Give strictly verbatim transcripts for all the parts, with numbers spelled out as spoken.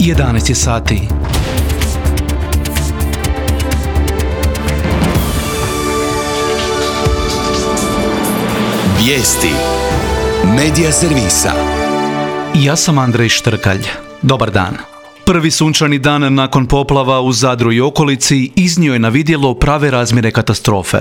jedanaest je sati. Vijesti Medija servisa. Ja sam Andrej Štrkalj. Dobar dan. Prvi sunčani dan nakon poplava u Zadru i okolici iznio je na vidjelo prave razmjere katastrofe.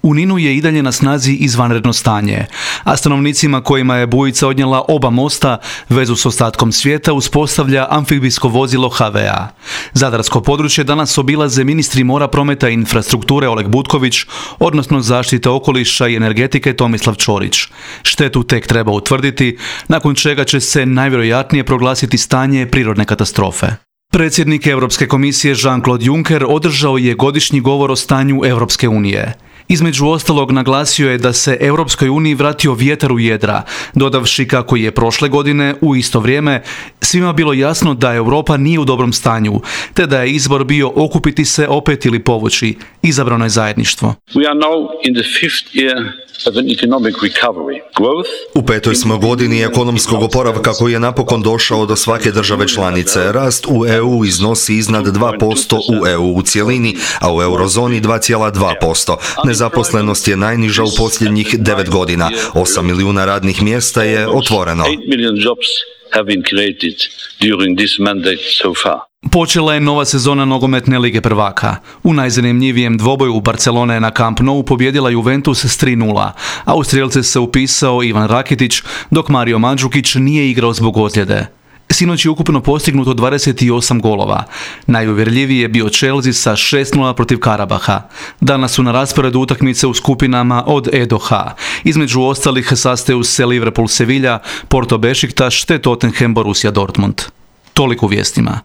U Ninu je i dalje na snazi izvanredno stanje, a stanovnicima kojima je bujica odnijela oba mosta vezu s ostatkom svijeta uspostavlja amfibijsko vozilo ha ve a. Zadarsko područje danas obilaze ministri mora, prometa i infrastrukture Oleg Butković, odnosno zaštite okoliša i energetike Tomislav Ćorić. Štetu tek treba utvrditi, nakon čega će se najvjerojatnije proglasiti stanje prirodne katastrofe. Predsjednik Europske komisije Jean-Claude Juncker održao je godišnji govor o stanju Europske unije. Između ostalog naglasio je da se Europskoj uniji vratio vjetar u jedra, dodavši kako je prošle godine u isto vrijeme svima bilo jasno da Europa nije u dobrom stanju, te da je izbor bio okupiti se opet ili povući. Izabrano je zajedništvo. We are now in the fifth year of an economic recovery. Growth. U petoj smo godini ekonomskog oporavka koji je napokon došao do svake države članice. Rast u e u iznosi iznad dva posto u e u u cjelini, a u eurozoni dva zarez dva posto. Nezaposlenost je najniža u posljednjih devet godina. osam milijuna radnih mjesta je otvoreno. Počela je nova sezona nogometne lige prvaka. U najzanimljivijem dvoboju Barcelone na Camp Nou pobijedila Juventus s tri nula, a u strijelce se upisao Ivan Rakitić, dok Mario Mandžukić nije igrao zbog ozljede. Sinoć je ukupno postignuto dvadeset osam golova. Najuvjerljiviji je bio Chelsea sa šest nula protiv Karabaha. Danas su na rasporedu utakmice u skupinama od E do H. Između ostalih sastaju se Liverpool Sevilla, Porto Bešiktaš te Tottenham Borussia Dortmund. Toliko u vijestima.